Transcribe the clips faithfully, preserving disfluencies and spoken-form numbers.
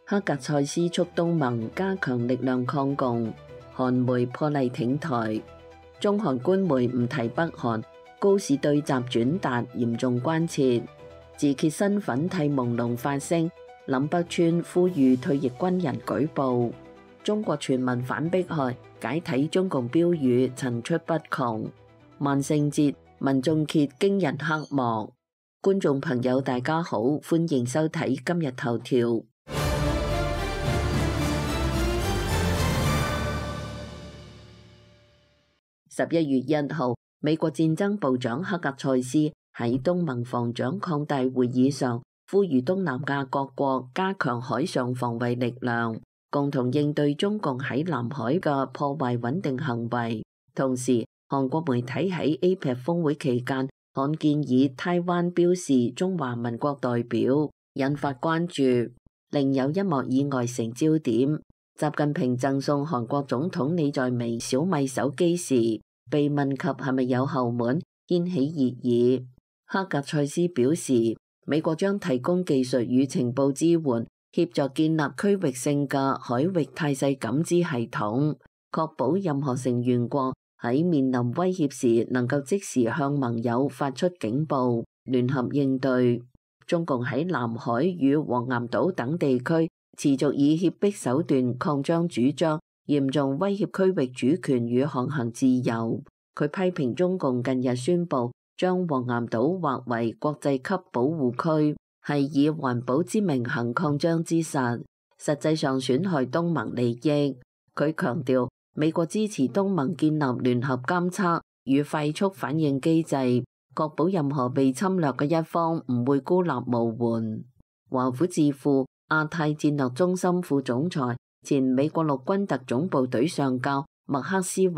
克格塞斯促東盟加強力量抗共，韓媒破例挺台。中韓官媒唔提北韓，高市對習轉達嚴重關切。自揭身份替朦朧發聲，林北川呼籲退役軍人舉報。中國全民反迫害，解體中共標語層出不窮。萬聖節民眾揭驚人黑幕。觀眾朋友大家好，歡迎收睇今日頭條。十一月一號，美國戰爭部長克格塞斯喺東盟防長擴大會議上，呼籲東南亞各國加強海上防衛力量，共同應對中共喺南海嘅破壞穩定行為。同時，韓國媒體喺 A P E C 峰會期間罕見以台灣標示中華民國代表，引發關注。另有一幕意外成焦點，習近平贈送韓國總統李在明小米手機時，被問及係咪有後門，掀起熱議。克格塞斯表示，美國將提供技術與情報支援，協助建立區域性嘅海域態勢感知系統，確保任何成員國喺面臨威脅時能夠即時向盟友發出警報，聯合應對。中共喺南海與黃岩島等地區持續以脅迫手段擴張主張，嚴重威脅區域主權與航行自由。佢批評中共近日宣布將黃岩島劃為國際級保護區，係以環保之名行擴張之實，實際上損害東盟利益。佢強調，美國支持東盟建立聯合監測與快速反應機制，確保任何被侵略嘅一方唔會孤立無援。華府智庫亞太戰略中心副總裁、前美國陸軍特種部隊上校麥克斯韋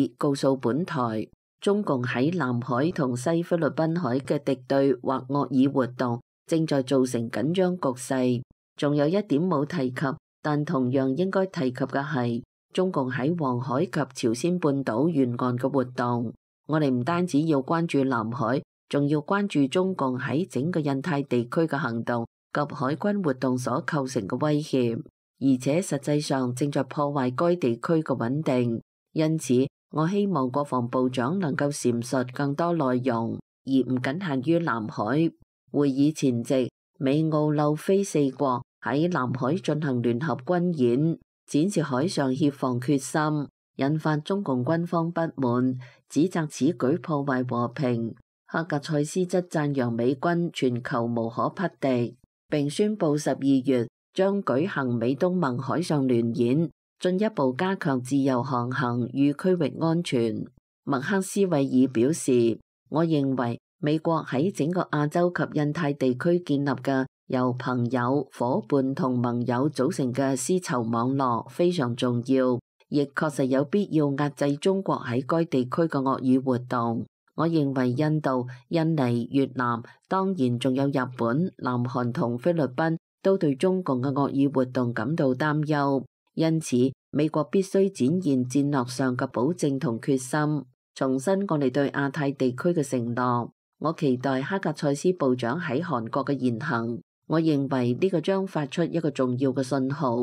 爾告訴本台，中共喺南海同西菲律賓海嘅敵對或惡意活動正在造成緊張局勢。仲有一點冇提及，但同樣應該提及嘅係中共喺黃海及朝鮮半島沿岸嘅活動。我哋唔單止要關注南海，仲要關注中共喺整個印太地區嘅行動及海軍活動所構成嘅威脅，而且實際上正在破壞該地區嘅穩定。因此，我希望國防部長能夠闡述更多內容，而唔僅限於南海。會議前夕，美澳紐非四國喺南海進行聯合軍演，展示海上協防決心，引發中共軍方不滿，指責此舉破壞和平。克格塞斯則讚揚美軍全球無可匹敵，並宣布十二月將舉行美東盟海上聯演，進一步加強自由航行與區域安全。麥克斯韋爾表示，我認為美國喺整個亞洲及印太地區建立嘅由朋友、夥伴同盟友組成嘅絲綢網絡非常重要，亦確實有必要壓制中國喺該地區嘅惡意活動。我認為印度、印尼、越南，當然仲有日本、南韓同菲律賓都對中共嘅惡意活動感到擔憂，因此美國必須展現戰略上嘅保證同決心，重申我哋對亞太地區嘅承諾。我期待克格塞斯部長喺韓國嘅言行，我認為呢個將發出一個重要嘅信號。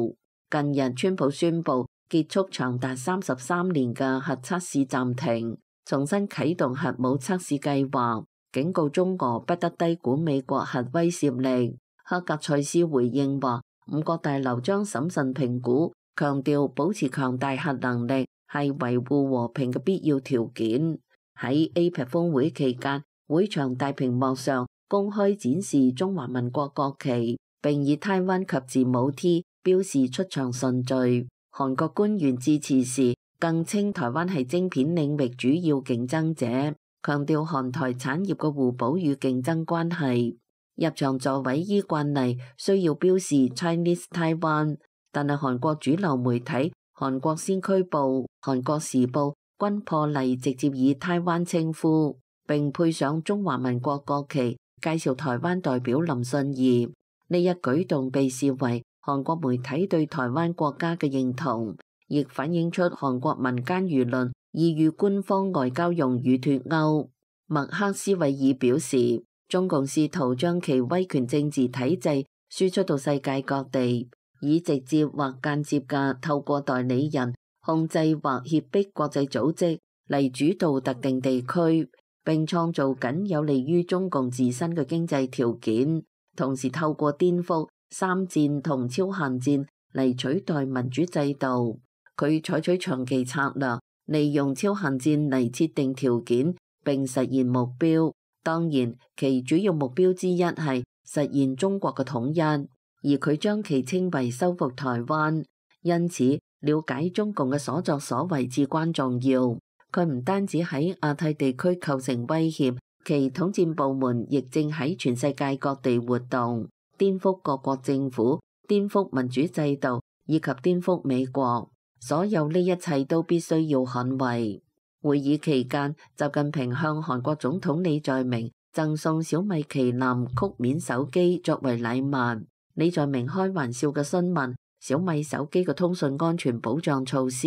近日，川普宣布結束長達三十三年嘅核測試暫停，重新啟動核武測試計劃，警告中俄不得低估美國核威懾力。克格塞斯回應話，五角大樓將審慎評估，強調保持強大核能力係維護和平嘅必要條件。喺 A P E C 峰會期間，會場大屏幕上公開展示中華民國國旗，並以台灣及字母 T 標示出場順序。韓國官員致辭時更稱台灣係晶片領域主要競爭者，強調韓台產業嘅互補與競爭關係。入場座位依慣例需要標示 Chinese Taiwan， 但係韓國主流媒體韓國先驅報、韓國時報均破例直接以台灣稱呼，並配上中華民國國旗，介紹台灣代表林信義。呢一舉動被視為韓國媒體對台灣國家嘅認同，亦反映出韓國民間輿論意與官方外交用語脫鈎。麥克斯韋爾表示，中共試圖將其威權政治體制輸出到世界各地，以直接或間接嘅透過代理人控制或脅迫國際組織嚟主導特定地區，並創造僅有利於中共自身嘅經濟條件，同時透過顛覆、三戰同超限戰嚟取代民主制度。佢採取長期策略，利用超限戰嚟設定條件並實現目標。當然，其主要目標之一係實現中國嘅統一，而佢將其稱為收復台灣。因此，了解中共嘅所作所為至關重要。佢唔單止喺亞太地區構成威脅，其統戰部門亦正喺全世界各地活動，顛覆各國政府、顛覆民主制度以及顛覆美國。所有呢一切都必須要捍衛。會議期間，習近平向韓國總統李在明贈送小米旗艦曲面手機作為禮物。李在明開玩笑嘅詢問小米手機嘅通訊安全保障措施，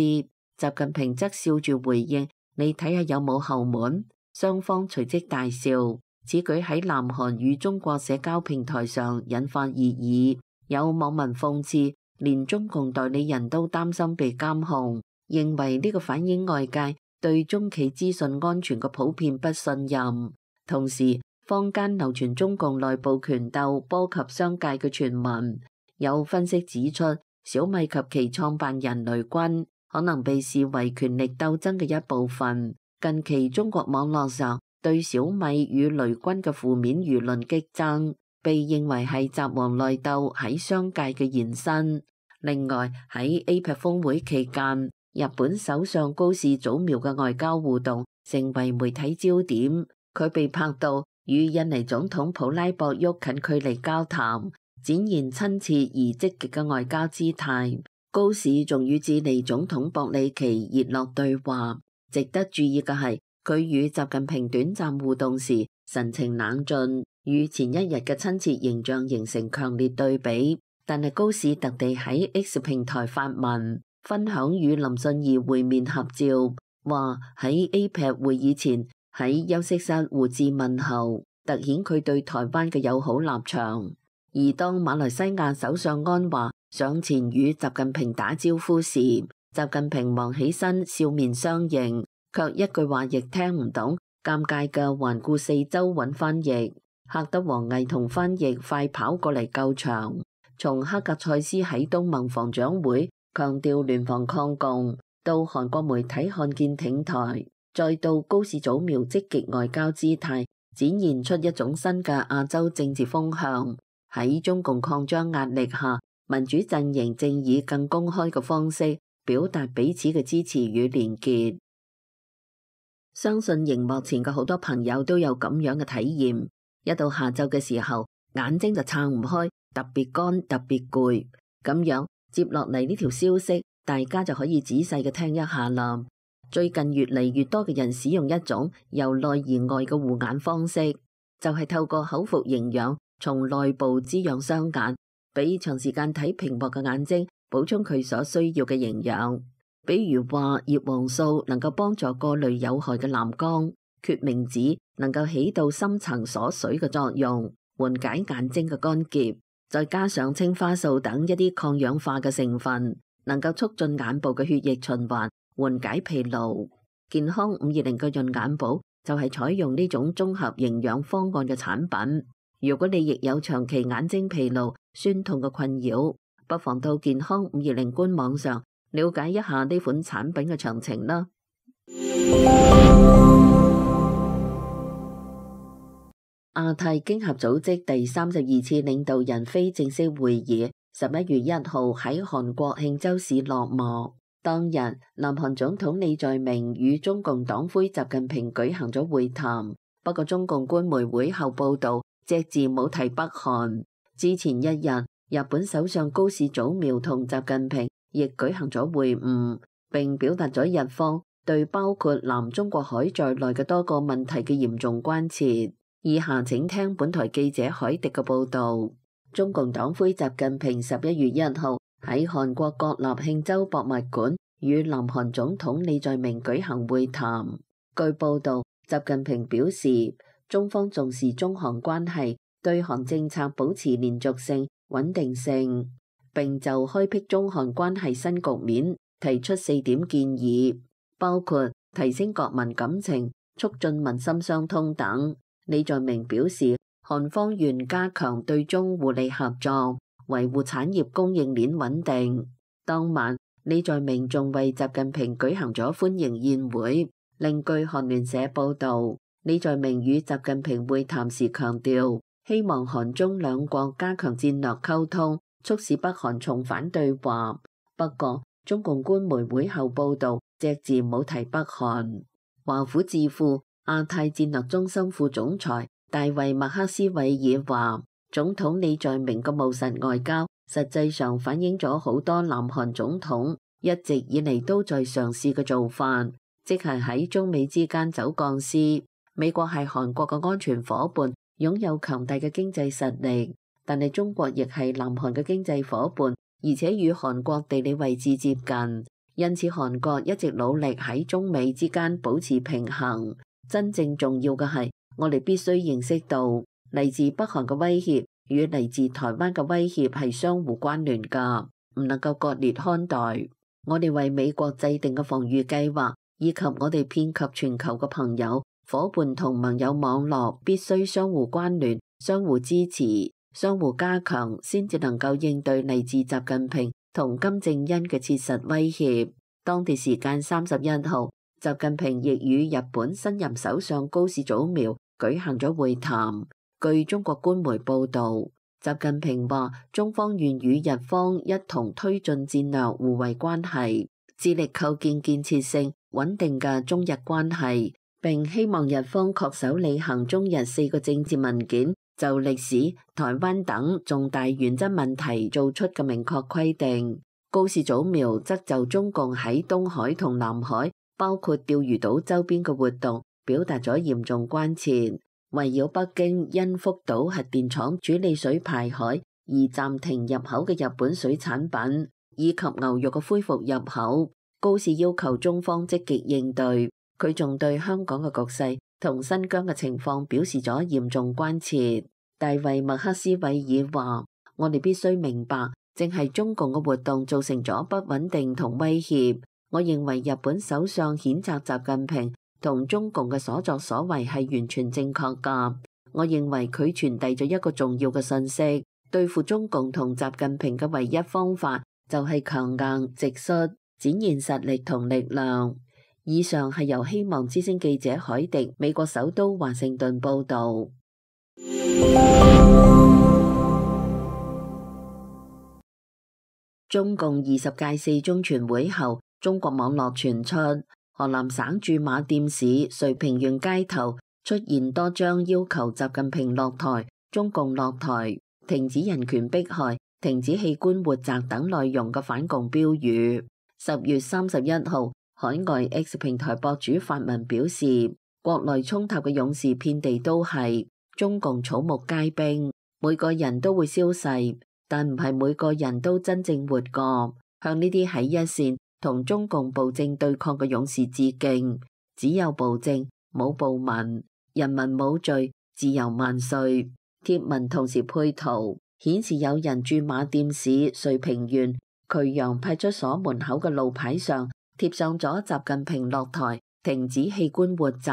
習近平則笑住回應：你睇下有冇後門？雙方隨即大笑。此舉喺南韓與中國社交平台上引發熱議，有網民諷刺，連中共代理人都擔心被監控，認為呢個反映外界對中企資訊安全嘅普遍不信任。同時，坊間流傳中共內部權鬥波及商界嘅傳聞，有分析指出，小米及其創辦人雷軍可能被視為權力鬥爭嘅一部分。近期中國網絡上對小米與雷軍嘅負面輿論激增，被認為係習王內鬥喺商界嘅延伸。另外，喺 A P E C 峰會期間，日本首相高市早苗嘅外交互動成為媒體焦點。佢被拍到與印尼總統普拉博沃近距離交談，展現親切而積極嘅外交姿態。高市仲與智利總統博里奇熱絡對話。值得注意嘅係，佢與習近平短暫互動時神情冷峻，與前一日嘅親切形象形成強烈對比。但係高市特地喺 X 平台發文，分享與林信儀會面合照，話喺 A P E C 會議前喺休息室互致問候，凸顯佢對台灣嘅友好立場。而當馬來西亞首相安華上前與習近平打招呼時，習近平忙起身笑面相迎，卻一句話亦聽唔懂，尷尬嘅環顧四周揾翻譯，嚇得王毅同翻譯快跑過嚟救場。從黑格塞斯喺東盟防長會強調聯防抗共，到韓國媒體看見挺台，再到高市早苗積極外交姿態，展現出一種新嘅亞洲政治風向。喺中共擴張壓力下，民主陣營正以更公開嘅方式表達彼此嘅支持與連結。相信熒幕前嘅好多朋友都有咁樣嘅體驗，一到下晝嘅時候，眼睛就撐唔開，特別乾，特別攰。咁樣接落嚟呢條消息，大家就可以仔細嘅聽一下啦。最近越嚟越多嘅人使用一種由內而外嘅護眼方式，就係透過口服營養從內部滋養雙眼，俾長時間睇屏幕嘅眼睛補充佢所需要嘅營養。比如話葉黃素能夠幫助過濾有害嘅藍光，決明子能夠起到深層鎖水嘅作用，緩解眼睛嘅乾澀，再加上青花素等一啲抗氧化嘅成分，能夠促進眼部嘅血液循環，緩解疲勞。健康五二零嘅潤眼寶就係採用呢種綜合營養方案嘅產品。如果你亦有長期眼睛疲勞、酸痛嘅困擾，不妨到健康五二零官網上了解一下呢款產品嘅詳情啦。亞太經合組織第三十二次領導人非正式會議十一月一號喺韓國慶州市落幕。當日，南韓總統李在明與中共黨魁習近平舉行咗會談。不過，中共官媒會後報導，隻字冇提北韓。之前一日，日本首相高市早苗同習近平亦舉行咗會晤，並表達咗日方對包括南中國海在內嘅多個問題嘅嚴重關切。以下請聽本台記者海迪嘅報導。中共黨魁習近平十一月一號喺韓國國立慶州博物館與南韓總統李在明舉行會談。據報導，習近平表示，中方重視中韓關係，對韓政策保持連續性、穩定性，並就開闢中韓關係新局面提出四點建議，包括提升國民感情、促進民心相通等。李在明表示，韓方願加強對中互利合作，維護產業供應鏈穩定。當晚，李在明仲為習近平舉行咗歡迎宴會。另據韓聯社報導，李在明與習近平會談時強調，希望韓中兩國加強戰略溝通，促使北韓重返對話。不過，中共官媒會後報導隻字冇提北韓。華府智庫亞太戰略中心副總裁大衛麥克斯韋爾話，總統李在明嘅務實外交，實際上反映咗好多南韓總統一直以嚟都在嘗試嘅做法，即係喺中美之間走鋼絲。美國係韓國嘅安全夥伴，擁有強大嘅經濟實力，但係中國亦係南韓嘅經濟夥伴，而且與韓國地理位置接近，因此韓國一直努力喺中美之間保持平衡。真正重要嘅係，我哋必須認識到嚟自北韓嘅威脅與嚟自台灣嘅威脅係相互關聯㗎，唔能夠割裂看待。我哋為美國制定嘅防禦計劃，以及我哋遍及全球嘅朋友、伙伴同盟友網絡，必須相互關聯、相互支持、相互加強，先至能夠應對嚟自習近平同金正恩嘅切實威脅。當地時間三十一號，習近平亦與日本新任首相高市早苗舉行咗會談。據中國官媒報導，習近平話中方願與日方一同推進戰略互惠關係，致力構建建設性、穩定嘅中日關係，並希望日方恪守履行中日四個政治文件就歷史、台灣等重大原則問題做出嘅明確規定。高市早苗則就中共喺東海同南海，包括釣魚島周邊嘅活動，表達咗嚴重關切。圍繞北京因福島核電廠處理水排海而暫停入口嘅日本水產品，以及牛肉嘅恢復入口，高市要求中方積極應對。佢仲對香港嘅局勢同新疆嘅情況表示咗嚴重關切。大衛麥克斯韋爾話：我哋必須明白，正係中共嘅活動造成咗不穩定同威脅。我認為日本首相譴責習近平同中共嘅所作所為係完全正確㗎。我認為佢傳遞咗一個重要嘅信息，對付中共同習近平嘅唯一方法就係強硬直率，展現實力同力量。以上係由希望之聲記者海迪美國首都華盛頓報導。中共二十屆四中全會後，中國網絡傳出河南省駐馬店市遂平縣街頭出現多張要求習近平落台、中共落台、停止人權迫害、停止器官活摘等內容嘅反共標語。十月三十一號，海外 X 平台博主發文表示，國內衝塔嘅勇士遍地都係，中共草木皆兵，每個人都會消逝，但唔係每個人都真正活過。向呢啲喺一線同中共暴政對抗嘅勇士致敬。只有暴政，冇暴民，人民冇罪，自由萬歲。貼文同時配圖顯示有人駐馬店市遂平縣渠陽派出所門口嘅路牌上貼上咗習近平落台、停止器官活摘、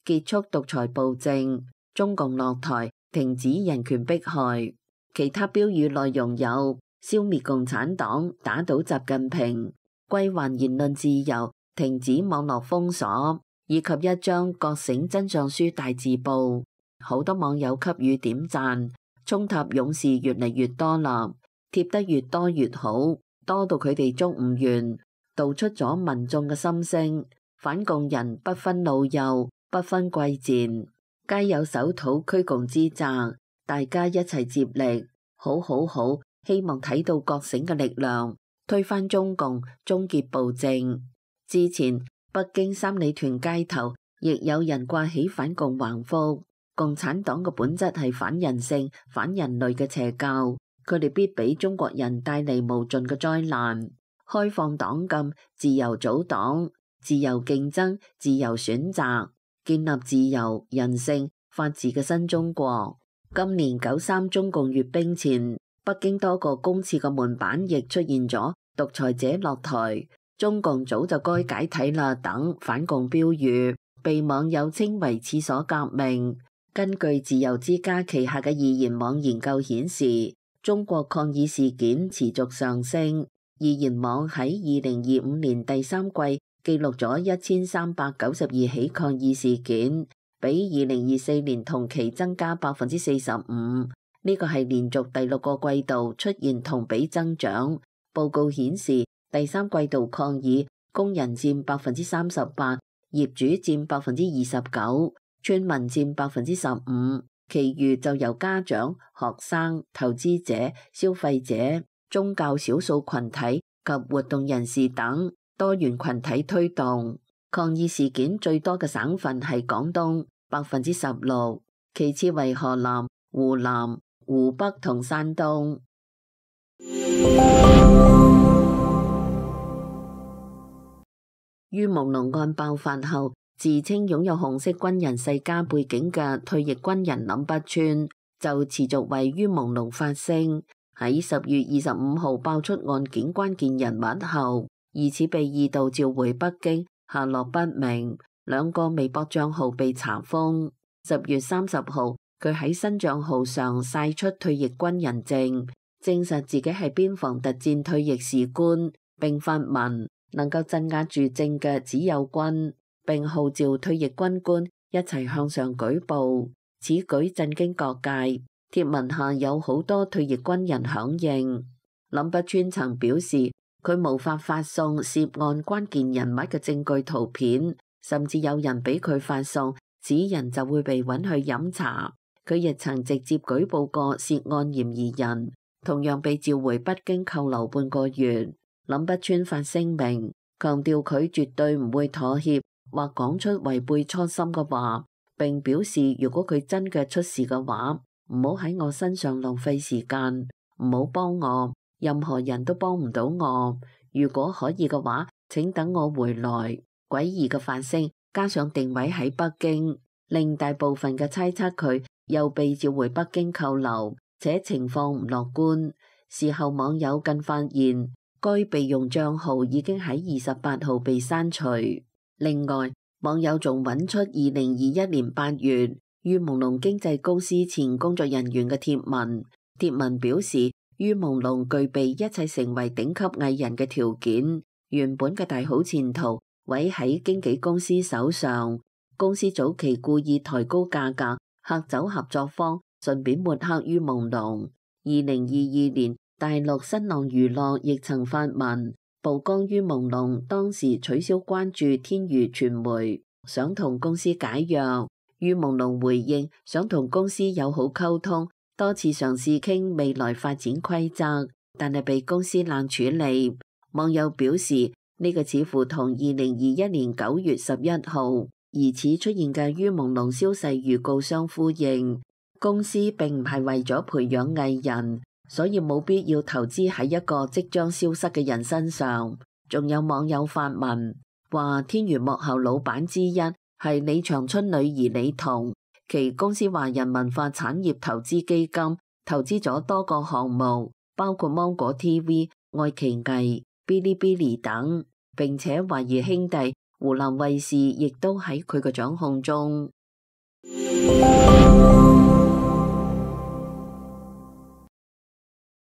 結束獨裁暴政、中共落台、停止人權迫害。其他標語內容有消滅共產黨、打倒習近平、歸還言論自由、停止網絡封鎖，以及一張覺醒真相書大字報。好多網友給予點讚，衝塔勇士越嚟越多啦，貼得越多越好，多到佢哋捉唔完，道出咗民眾嘅心聲。反共人不分老幼，不分貴賤，皆有守土驅共之責，大家一齊接力，好好好，希望睇到覺醒嘅力量，推翻中共，終結暴政。之前北京三里屯街頭亦有人掛起反共橫幅，共產黨嘅本質係反人性、反人類嘅邪教，佢哋必俾中國人帶嚟無盡嘅災難。開放黨禁，自由組黨，自由競爭，自由選擇，建立自由、人性、法治嘅新中國。今年九三中共閱兵前，北京多個公廁嘅門板亦出現咗獨裁者落台、中共早就該解體啦等反共標語，被網友稱為廁所革命。根據自由之家旗下嘅易言網研究顯示，中國抗議事件持續上升。易言網喺二零二五年第三季記錄咗一千三百九十二起抗議事件，比二零二四年同期增加百分之四十五。呢個係連續第六個季度出現同比增長。報告顯示，第三季度抗議工人佔百分之三十八，業主佔百分之二十九。村民佔百分之十五，其餘就由家長、學生、投資者、消費者、宗教少數群體及活動人士等多元群體推動。抗議事件最多嘅省份係廣東，百分之十六，其次為河南、湖南、湖北同山東。于朦朧案爆發後，自稱擁有紅色軍人世家背景嘅退役軍人林北川就持續為于朦朧發聲。喺十月二十五號爆出案件關鍵人物後，疑似被二度召回北京，下落不明。兩個微博賬號被查封。十月三十號，佢喺新賬號上曬出退役軍人證，證實自己係邊防特戰退役士官，並發文能夠鎮壓住政嘅只有軍，並號召退役軍官一齊向上舉報。此舉震驚各界，貼文下有好多退役軍人響應。林北川曾表示，佢無法發送涉案關鍵人物嘅證據圖片，甚至有人俾佢發送，此人就會被揾去飲茶。佢亦曾直接舉報過涉案嫌疑人，同樣被召回北京扣留半個月。林北川發聲明，強調佢絕對唔會妥協或講出違背初心嘅話，並表示如果佢真嘅出事嘅話，唔好喺我身上浪費時間，唔好幫我，任何人都幫唔到我。如果可以嘅話，請等我回來。詭異嘅發聲加上定位喺北京，令大部分嘅猜測佢又被召回北京扣留，且情況唔樂觀。事後網友更發現，該備用賬號已經喺二十八號被刪除。另外，網友仲揾出二零二一年八月于朦朧經紀公司前工作人員嘅貼文，貼文表示于朦朧具備一切成為頂級藝人嘅條件，原本嘅大好前途毀喺經紀公司手上。公司早期故意抬高價格，嚇走合作方，順便抹黑于朦朧。二零二二年，大陸新浪娛樂亦曾發文曝光于朦朧當時取消關注天娛傳媒，想同公司解約。于朦朧回應想同公司友好溝通，多次嘗試傾未來發展規則，但係被公司冷處理。網友表示呢個似乎同二零二一年九月十一號疑似出現嘅于朦朧消逝預告相呼應。公司並唔係為咗培養藝人，所以冇必要投資喺一個即將消失嘅人身上。仲有網友發文話，天娛幕後老闆之一係李長春女兒李彤，其公司華人文化產業投資基金投資咗多個項目，包括芒果 T V、愛奇藝、嗶哩嗶哩等，並且懷疑兄弟湖南衛視亦都喺佢嘅掌控中。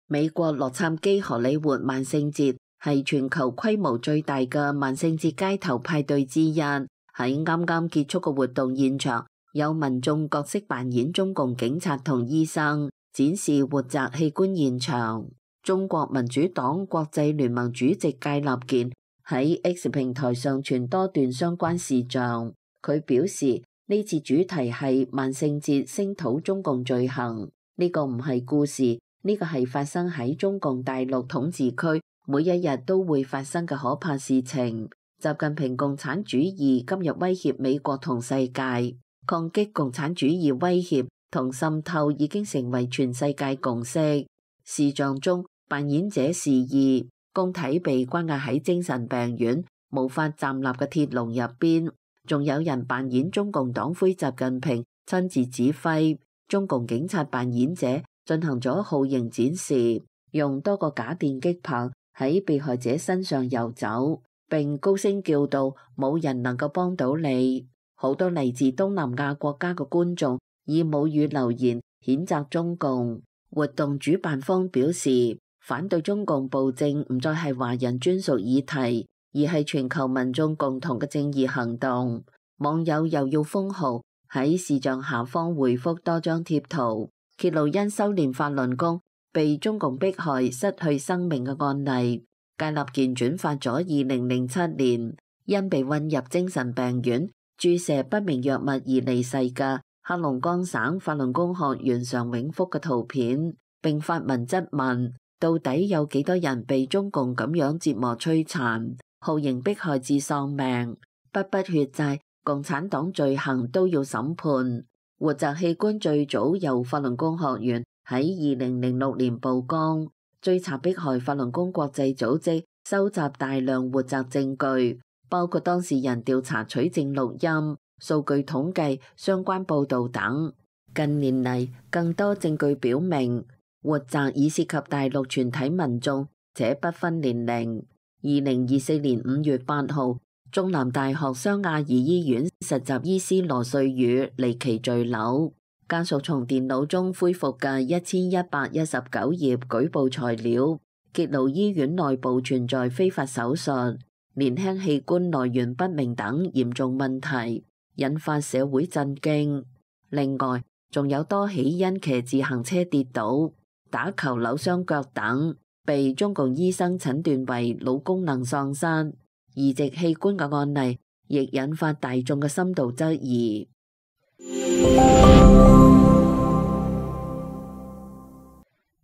美國洛杉磯荷里活萬聖節係全球規模最大嘅萬聖節街頭派對之一。喺啱啱結束嘅活動現場，有民眾角色扮演中共警察同醫生，展示活摘器官現場。中國民主黨國際聯盟主席芥立健喺 X 平台上傳多段相關視像，佢表示呢次主題係萬聖節聲討中共罪行，呢個唔係故事。呢個係發生喺中共大陸統治區每一日都會發生嘅可怕事情。習近平共產主義今日威脅美國同世界，抗擊共產主義威脅同滲透已經成為全世界共識。視像中，扮演者示意公體被關押喺精神病院無法站立嘅鐵籠入邊，仲有人扮演中共黨魁習近平親自指揮，中共警察扮演者進行咗酷刑展示，用多個假電擊棒喺被害者身上遊走，並高聲叫道：冇人能夠幫到你。好多嚟自東南亞國家嘅觀眾以母語留言譴責中共。活動主辦方表示，反對中共暴政唔再係華人專屬議題，而係全球民眾共同嘅正義行動。網友又要封號喺視像下方回覆多張貼圖，揭露因修煉法輪功被中共迫害失去生命嘅案例。戒立健轉發咗二零零七年因被運入精神病院注射不明藥物而離世嘅黑龍江省法輪功學員常永福嘅圖片，並發文質問到底有幾多人被中共咁樣折磨摧殘、酷刑迫害至喪命？筆筆血債、共產黨罪行都要審判。活摘器官最早由法輪功學員喺二零零六年曝光，追查迫害法輪功國際組織收集大量活摘證據，包括當事人調查取證錄音、數據統計、相關報導等。近年嚟，更多證據表明，活摘已涉及大陸全體民眾，且不分年齡。二零二四年五月八號，中南大學湘雅怡醫院實習醫師羅瑞宇離奇墜樓，家屬從電腦中恢復嘅一千一百一十九頁舉報材料，揭露醫院內部存在非法手術、年輕器官來源不明等嚴重問題，引發社會震驚。另外，仲有多起因騎自行車跌倒、打球扭傷腳等，被中共醫生診斷為腦功能喪失、移植器官嘅案例，亦引發大眾嘅深度質疑。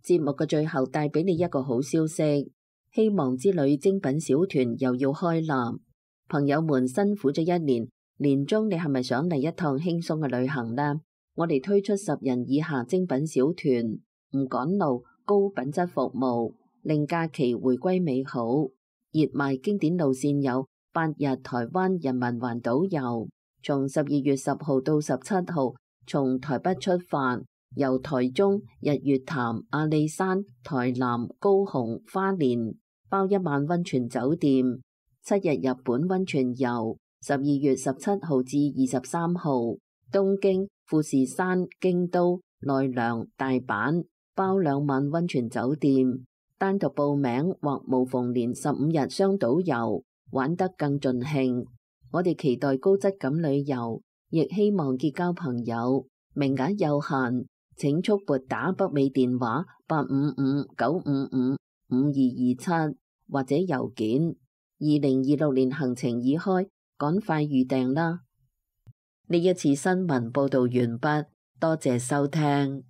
節目嘅最後帶俾你一個好消息，希望之旅精品小團又要開立。朋友們辛苦咗一年，年終你係咪想嚟一趟輕鬆嘅旅行呢？我哋推出十人以下精品小團，唔趕路，高品質服務，令假期回歸美好。熱賣經典路線有八日台灣人民環島遊，從十二月十號到十七號，從台北出發，由台中、日月潭、阿里山、台南、高雄、花蓮，包一晚溫泉酒店，七日日本溫泉遊，十二月十七號至二十三號，東京、富士山、京都、奈良、大阪，包兩晚溫泉酒店。單獨報名或無縫連十五日雙島遊，玩得更盡興。我哋期待高質感旅遊，亦希望結交朋友。名額有限，請速撥打北美電話八五五九五五五二二七或者郵件。二零二六年行程已開，趕快預訂啦！呢一次新聞報道完畢，多謝收聽。